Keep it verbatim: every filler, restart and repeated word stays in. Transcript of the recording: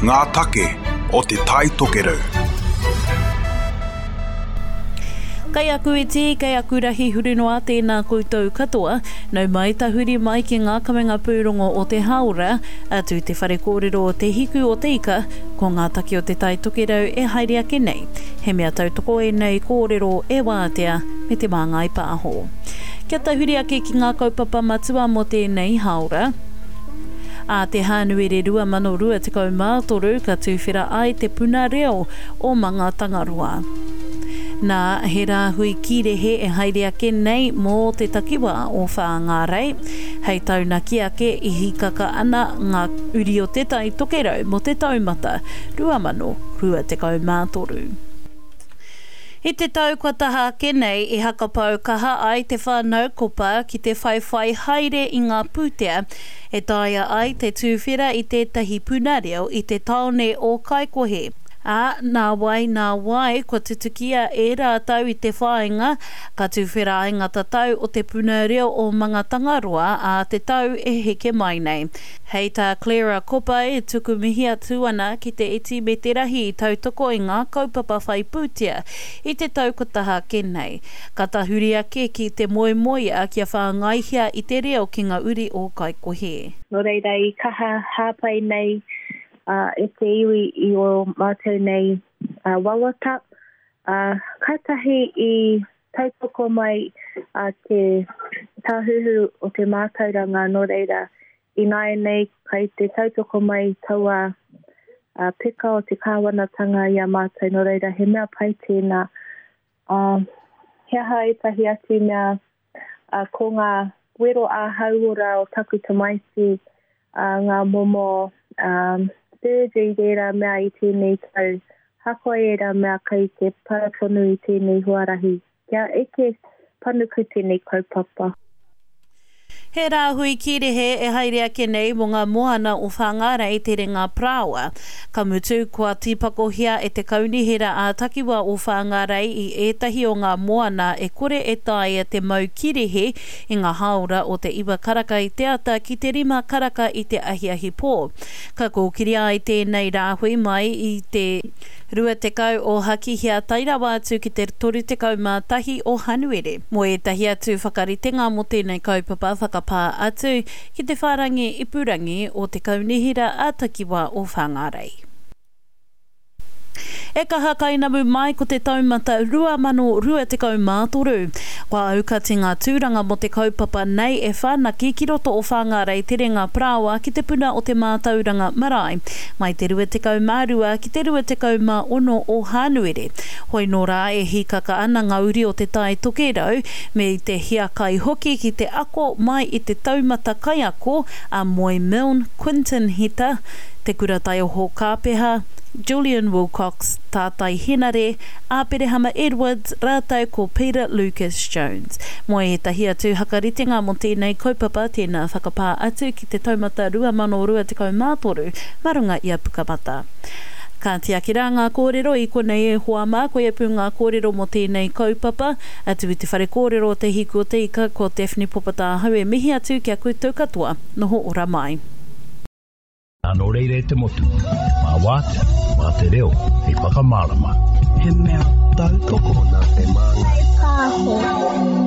Ngā take o Te Tai Tokerau. Kei aku iti, kei aku rahi huri noa tēnā koutou katoa. Nau mai tahuri mai ki ngā kawenga pūrongo o te hāora, atu te whare kōrero o Te Hiku o Te Ika, ko ngā take o Te Tai Tokerau e haere ake nei. He mea tautoko ēnei kōrero e Wātea me Te Māngai Pāho. Kia tahuri ake ki ngā kaupapa matua mō tēnei hāora. Ā te Hānuere rua mano rua tekau mā toru ka tuwhera ai te puna reo o Mangatangaroa. Nā, he rāhui kīrehe e haere ake nei mō te takiwā o Whāngārei. Hei taunaki ake i hīkaka ana ngā uri o Te Tai Tokerau mō te taumata rua mano rua tekau mā toru. I te tau kua taha ake nei i hakapau kaha ai te whānau Kopa ki te whaiwhai haere i ngā pūtea e taea ai te tūwhera i tētahi puna reo i te tāone o Kaikohe. Ā, nā wai, nā wai, kua tutukia e rātou i te whāinga, ka tūwhera ai ngā tatau o te puna reo o Mangatangaroa ā te tau e heke mai nei. Hei tā Clara Kopa e tuku mihi atu ana ki te iti me te rahi i tautoko i ngā kaupapa whai pūtea i te tau kua taha ake nei. Ka tahuri ake ki te moemoeā kia whāngaihia i te reo ki ngā uri o Kaikohe. Nō reira i kaha hāpai nei e te iwi i ō mātou nei wawata. Kātahi i tautoko mai te Tāhuhu o te Mātauranga, nō reira, ināianei kai te tautoko mai taua peka o te kāwanatanga i a mātou, nō reira he mea pai tēnā. He aha ētahi atu mea, ko ngā wero ā-hauora o taku tamaiti, ngā momo surgery ērā mea i tēnei tau, hakoa ērā mea kai te para tonu i tēnei huarahi, kia eke panuku tēnei kaupapa. He rāhui kīrehe e haere ake nei mō ngā moana o Whāngārei te Renga Parāoa. Ka mutu, kua tīpakohia e te Kaunihera ā-Takiwā o Whāngārei i ētahi o ngā moana e kore e taea te mau kīrehe i ngā hāora o te iwa karaka i te ata ki te rima karaka i te ahiahi pō. Ka kōkiria ai tēnei rāhui mai i te rua tekau o Hakihea tae rawa atu ki te toru tekau mā tahi o Hanuere. Mō ētahi atu whakaritenga mō tēnei kaupapa whakapā atu ki te whārangi ipurangi o te Kaunihera ā-Takiwā o Whāngārei. E kaha kainamu mai ko te taumata rua mano rua tekau mā toru. Kua aukati ngā tūranga mō te kaupapa nei e whanaki ki roto o Whāngārei Te Renga Parāoa ki te puna o te mātauranga marae, mai te rua tekau mā rua ki te rua tekau mā ono o Hānuere. Hoi nō rā e hīkaka ana ngā uri o Te Tai Tokerau me te hiakai hoki ki te ako mai i te taumata kaiako a Moe Milne, Quinton Hita, Te Kura Taioho Kāpeha, Julian Wilcox, Tātai Henare, Āperehama Edwards rātou ko Peter Lucas Jones. Mō ētahi atu hakaritenga mō tēnei kaupapa, tēnā whakapā atu ki te taumata rua mano rua tekau mā toru mā runga i a Pukamata. Ka tiaki rā ngā kōrero i konei e hoa mā, koia pū ngā kōrero mō tēnei kaupapa. Atu i te whare kōrero o Te Hiku o Te Ika, ko Daphne Popotāhau e mihi atu ki a koutou katoa. Noho ora mai. Nō reira e te motu, mā wātea, mā te reo, hei whakamārama. He mea tautoko nā Te Māngai Pāho.